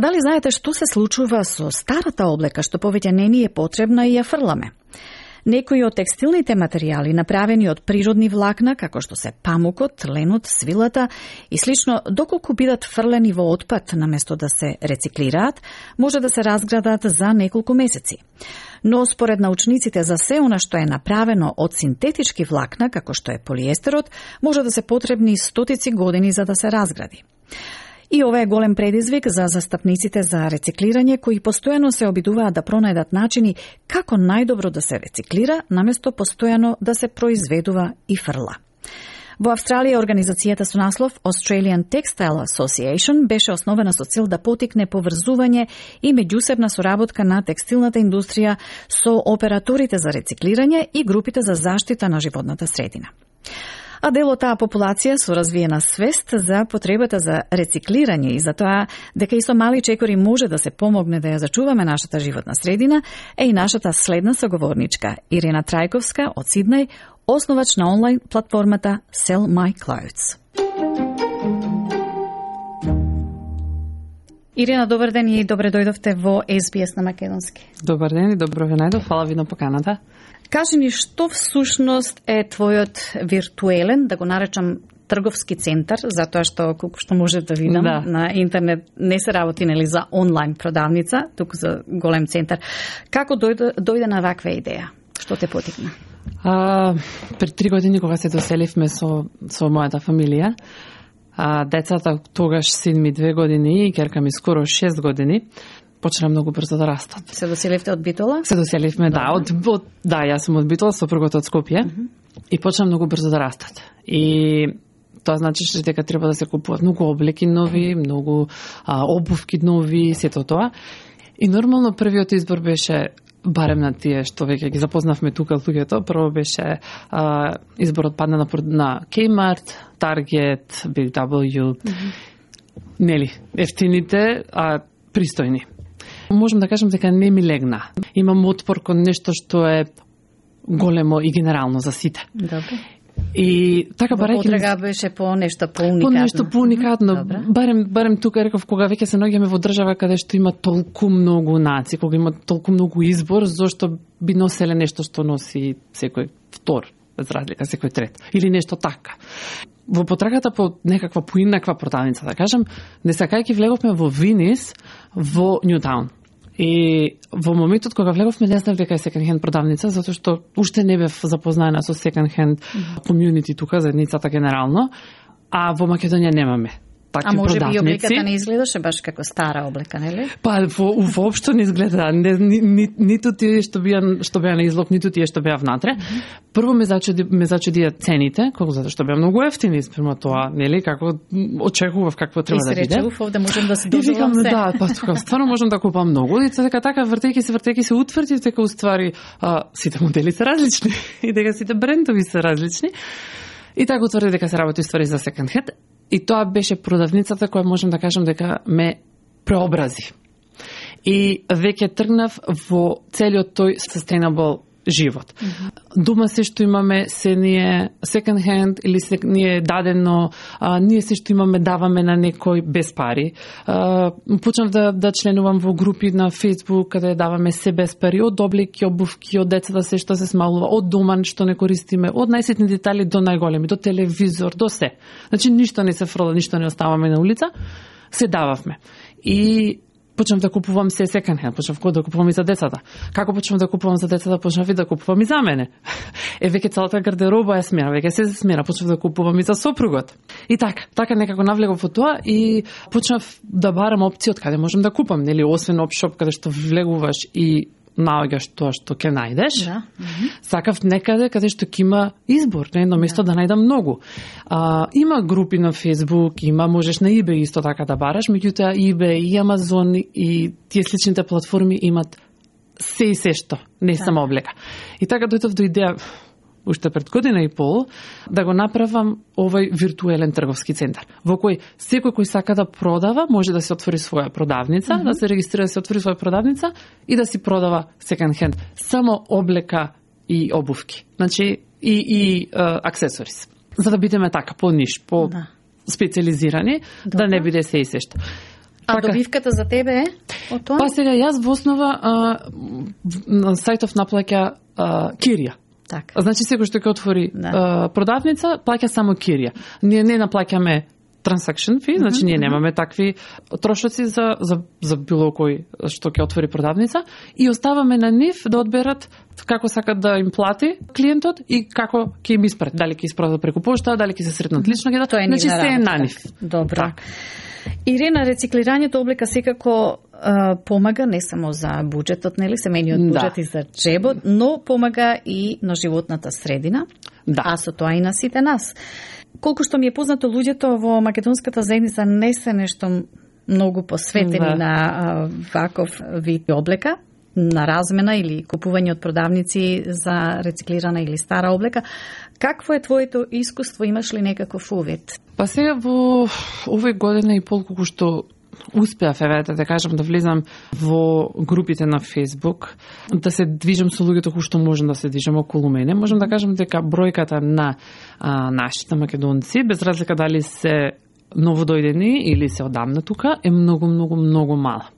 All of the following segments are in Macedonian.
дали знаете што се случува со старата облека што повеќе не ни е потребна и ја фрламе? Некои од текстилните материјали направени од природни влакна, како што се памукот, ленот, свилата и слично, доколку бидат фрлени во отпад наместо да се рециклираат, може да се разградат за неколку месеци. Но според научниците за се она што е направено од синтетички влакна, како што е полиестерот, може да се потребни стотици години за да се разгради. И ова е голем предизвик за застапниците за рециклирање, кои постојано се обидуваат да пронајдат начини како најдобро да се рециклира, наместо постојано да се произведува и фрла. Во Австралија организацијата со наслов Australian Textile Association беше основена со цел да потикне поврзување и меѓусебна соработка на текстилната индустрија со операторите за рециклирање и групите за заштита на животната средина. А дел од таа популација со развиена свест за потребата за рециклирање и за тоа дека и со мали чекори може да се помогне да ја зачуваме нашата животна средина е и нашата следна соговорничка Ирена Трајковска од Сиднеј, основач на онлайн платформата Sell My Clothes. Ирена, добар ден и добре дојдовте во SBS на македонски. Добар ден и добро ве најдов, фала ви на поканата. Кажи ни што всушност е твојот виртуелен, да го наречам трговски центар, затоа што колку што може да видам на интернет не се работи нели за онлайн продавница, туку за голем центар. Како дојде на ваква идеја? Што те потикна? Пред 3 години кога се доселивме со мојата фамилија, децата тогаш син ми 2 години и ќерка ми скоро 6 години, почна многу брзо да растат. Се доселивте од Битола? Се доселивме, јас сум од Битола, сопругот од Скопје, и почна многу брзо да растат. И тоа значи дека треба да се купуваат многу облеки нови, многу обувки нови, сето тоа. И нормално првиот избор беше, барем на тие што веќе ги запознавме тука луѓето, прво беше изборот падна на Kmart, Target, BW, нели, ефтините, пристојни. Можам да кажам дека не ми легна. Имам отпор кон нешто што е големо и генерално за сите. Добре. И така барајќи потрега беше по нешто поуникатно. По нешто поуникатно. Барем тука реков кога веќе се наоѓаме во држава каде што има толку многу нации, кога има толку многу избор, зошто би носеле нешто што носи секој втор, без разлика, секој трет или нешто така. Во потрагата по некаква поинаква продавница, да кажам, не сакајќи влеговме во Винис, во Ньютаун. И во моментот кога влеговме не знав дека е секонд хенд продавница, затоа што уште не бев запознаена со секонд хенд комјунити тука, заедницата генерално, а во Македонија немаме такви продавници. А може би облеката не изгледаше баш како стара облека, нели? Па воопшто не изгледа, ниту тие што беа на излог, ниту тие што беа внатре. Прво ме зачудија цените, затоа што беа многу ефтини спрема тоа, нели, како очекував какво треба да биде. И се рече, овде можам да се дозволам се. Да, па тука стварно можам да купам многу. И дека така вртејќи се утврдив дека уствари сите модели се различни и дека сите брендови се различни. И така утврди дека се работи ствари за секонд хенд. И тоа беше продавницата која можам да кажам дека ме преобрази. И веќе тргнав во целиот тој sustainable живот. Дома се што имаме се ние second hand или се ние дадено, ние се што имаме даваме на некој без пари. Почнав да членувам во групи на Facebook каде даваме се без пари, од облеки, обувки, од децата се што се смалува, од дома што не користиме, од најситни детали до најголеми, до телевизор, до се. Значи ништо не се фрла, ништо не оставаме на улица, се дававме. И почнав да купувам се секонд хенд, почнав да купувам и за децата. Како почнав да купувам за децата, почнав и да купувам и за мене. Веќе целата гардероба е смена, веќе се смена, почнав да купувам и за сопругот. И така некако навлегов во тоа и почнав да барам опции од каде можам да купам, нели, освен опшоп каде што влегуваш и наоѓаш тоа што ќе најдеш. Да. Сакав некаде каде што ќе има избор, на едно место да најдам многу. Има групи на Facebook, можеш на eBay исто така да бараш, меѓутоа eBay и Amazon и тие сличните платформи имат се и се што, не само облека. И така дојдов до идеја уште пред година и пол, да го направам овој виртуелен трговски центар, во кој секој кој сака да продава, може да се отвори своја продавница, да се регистрира, да се отвори своја продавница и да си продава секонд хенд, само облека и обувки. Значи, и аксесорис. За да бидеме така, по-ниш, специализирани, да не биде се и се што. А добивката за тебе е од тоа? Па сега јас во основа на сајтов наплаќа кирија. Така. Значи секој што ќе отвори продавница, плаќа само кирија. Ние не наплаќаме transaction fee, значи ние немаме такви трошоци за било кој што ќе отвори продавница и оставаме на нив да одберат како сакат да им плати клиентот и како ќе им испрати. Дали ќе испратат преку пошта, дали ќе се сретнат лично, значи се е на нив. Добро. Так. Ирена, рециклирањето облека секако помага не само за буџетот, нели, семејниот буџет и за джебот, но помага и на животната средина, а со тоа и на сите нас. Колку што ми е познато, луѓето во македонската заедница не се нешто многу посветени на ваков вид облека, на размена или купување од продавници за рециклирана или стара облека. Какво е твоето искуство? Имаш ли некаков увид? Па сега во овој година и пол колку што успеав, да кажам, да влезам во групите на Facebook, да се движам со луѓето кои што можам да се движам околу мене, можам да кажам дека бројката на нашите македонци, без разлика дали се новодојдени или се одамна тука, е многу мала.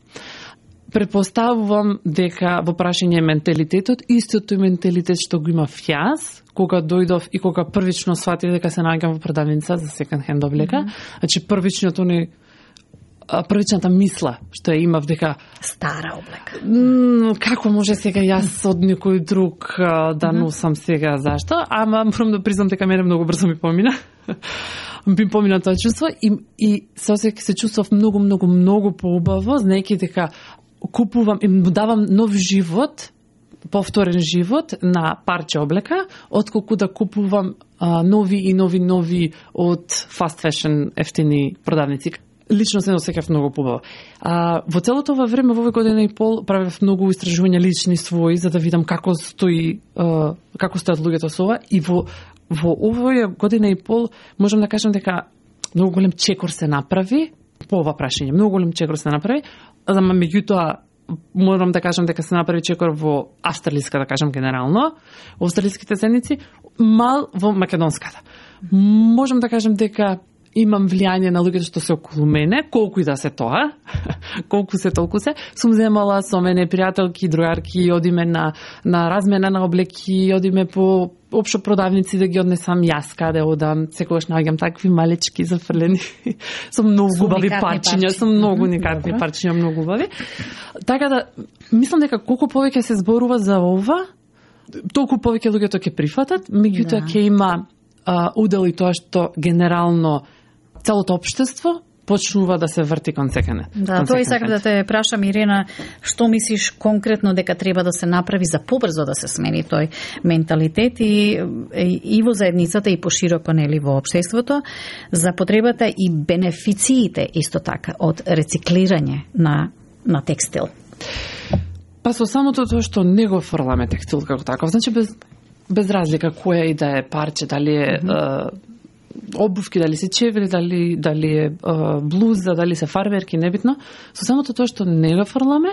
Предпоставувам дека во прашање менталитетот, истото менталитет што го имав јас, кога дојдов и кога првично сватив дека се наоѓам во продавница за секонд хенд облека, значи првичната мисла што ја имав дека стара облека. Како може сега јас од некој друг да носам сега, зашто? Ама морам да признам дека мене многу брзо ми помина. Ми помина тоа чувство и се чувствав многу поубаво, знаејќи дека купувам и му давам нов живот, повторен живот на парче облека, отколку да купувам нови од fast fashion ефтини продавници. Лично се осеќав многу побаво. Во целото ова време, во овој година и пол, правев многу истражувања лични своји, за да видам како стојат луѓето со ова. И во овој година и пол, можам да кажам дека многу голем чекор се направи по ова прашање. Многу голем чекор се направи, ама меѓутоа морам да кажам дека се направи чекор во австралиска, да кажам генерално, во австралиските заедници, мал во македонската. Можам да кажам дека имам влијание на луѓето што се околу мене, колку и да се тоа, колку се толку се. Сум земала со мене пријателки, другарки, одиме на размена на облеки, одиме по општо продавници да ги однесам јас каде одам, секогаш наоѓам такви малечки зафрлени со многу убави парчиња, со многу уникатни парчиња, многу убави. Така да мислам дека колку повеќе се зборува за ова, толку повеќе луѓето ќе прифатат, меѓутоа ќе има удел и тоа што генерално целото општество почнува да се врти кон секане. Да, тоа и сакам да те прашам, Ирена, што мислиш конкретно дека треба да се направи за побрзо да се смени тој менталитет и во заедницата и пошироко, нели, во општеството, за потребата и бенефициите исто така од рециклирање на текстил? Па со самото тоа што не го фрламе текстил како таков, значи без разлика која и да е парче, дали е обувки, дали се чевли, дали е блуза, дали се фарберки, небитно. Со самото тоа што не го фрламе,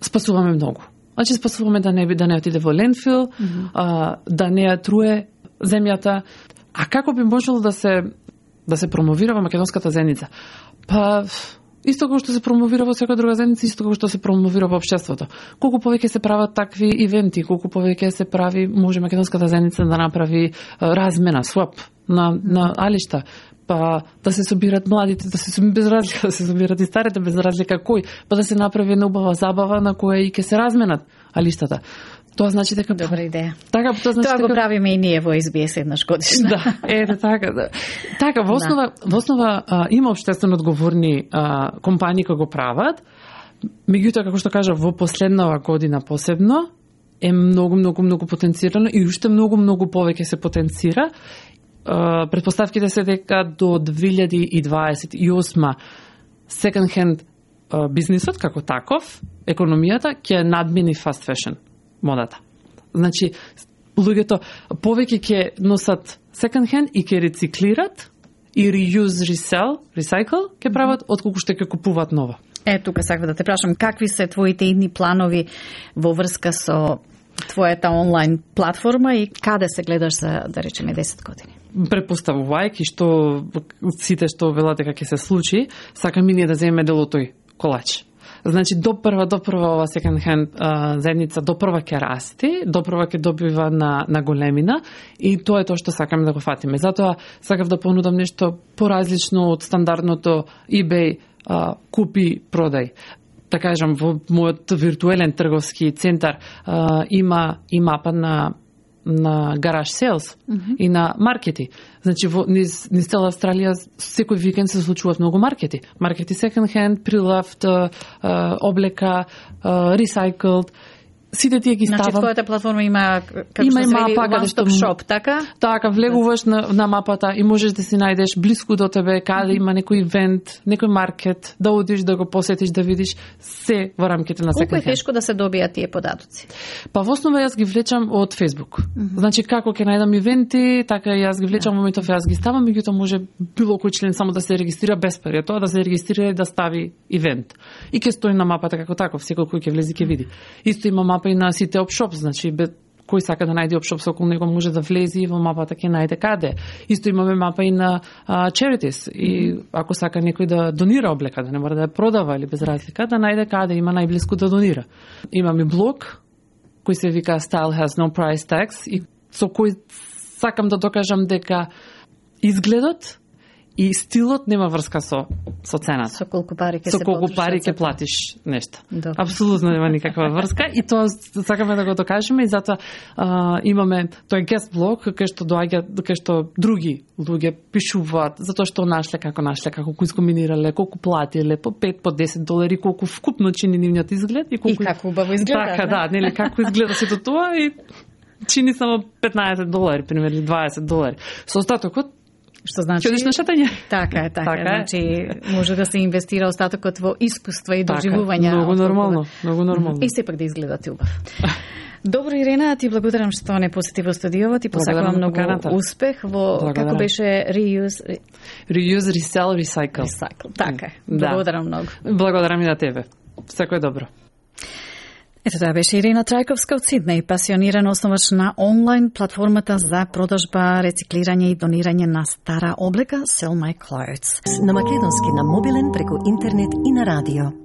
спасуваме многу. Значи спасуваме да не отиде во лендфил, да не ја труе земјата. А како би можело да се промовира во македонската заедница? Па исто како што се промовира во секоја друга заедница, исто како што се промовира во општеството. Колку повеќе се прават такви ивенти, колку повеќе се прави, може македонската заедница да направи размена, swap на алишта, па да се собират младите, без разлика да се собират и старите, без разлика кој, па да се направи една убава забава на која и ќе се разменат алиштата. Тоа значи дека добра идеја. Така, тоа значи го правиме и ние во SBS еднаш годишно. Да, така. Да. Така, во основа има општествено одговорни компании кои го прават. Меѓутоа, како што кажа, во последнава година посебно е многу потенцирано и уште многу повеќе се потенцира. Претпоставките се дека до 2028 second hand бизнисот како таков, економијата ќе надмини fast fashion модата. Значи, луѓето повеќе ќе носат second hand и ќе рециклират и reuse, recycle ќе прават, отколку што ќе купуваат ново. Тука сакам да те прашам, какви се твоите идни планови во врска со твојата онлайн платформа и каде се гледаш за, да речеме, 10 години? препоставувајќи што сите што велат дека ќе се случи, сакам и ние да земеме дел од тој колач. Значи, допрва ова second hand заедница допрва ќе расти, допрва ќе добива на големина и тоа е тоа што сакаме да го фатиме. Затоа сакав да понудам нешто поразлично од стандардното eBay купи продај. Да кажам, во мојот виртуелен трговски центар има и мапа на гараж селс и на маркети. Значи, низ цела Австралија секој викенд се случуваат многу маркети. Маркети second hand, прилавт, облека, recycled. Сите тие ги ставам. Значи, твојата платформа има мапа one stop shop, така? Така, влегуваш на мапата и можеш да си најдеш блиску до тебе каде има некој ивент, некој маркет, да одиш да го посетиш, да видиш се во рамките на second hand. Колку е тешко да се добијат тие податоци? Па во основа јас ги влечам од Facebook. Значи, како ќе најдам ивенти, така јас ги влечам, во моментов јас ги ставам, меѓутоа може било кој член само да се регистрира без пари, тоа да се регистрира и да стави ивент. И ќе стои на мапата како таков, секој кој ќе влезе ќе види. Исто има мапа и на сите опшоп, значи кој сака да најде опшоп со околу него може да влезе и во мапата ќе најде каде. Исто имаме мапа и на charities и ако сака некој да донира облека, да не мора да ја продава или без разлика, да најде каде има најблиску да донира. Имаме блог кој се вика Style has no price tags и со кој сакам да докажам дека изгледот и стилот нема врска со цената. Со колку пари ќе платиш нешто. Апсолутно нема никаква врска и тоа сакаме да го докажеме и затоа имаме тој guest блог кај што други луѓе пишуваат затоа што нашле, како го искомбинирале, колку платиле, по 5, по 10 долари, колку вкупно чини нивниот изглед и како убаво изгледа. Така, да, нели како изгледа сето тоа и чини само 15 долари, примерно 20 долари. Со остатокот што значи ќе одиш на шетање. Така е. Значи може да се инвестира остатокот во искуства и доживувања. Многу нормално. И сепак да изгледате убав. Добро, Ирена, ти благодарам што не посети во студиото, ти посакувам многу успех во како беше reuse, resell, recycle. Така е. Благодарам многу. Благодарам и на тебе. Секој добро. Ето тоа беше Ирена Трајковска од Сиднеј, пасионирана основач на онлайн платформата за продажба, рециклирање и донирање на стара облека Sell My Clothes. На македонски, на мобилен, преку интернет и на радио.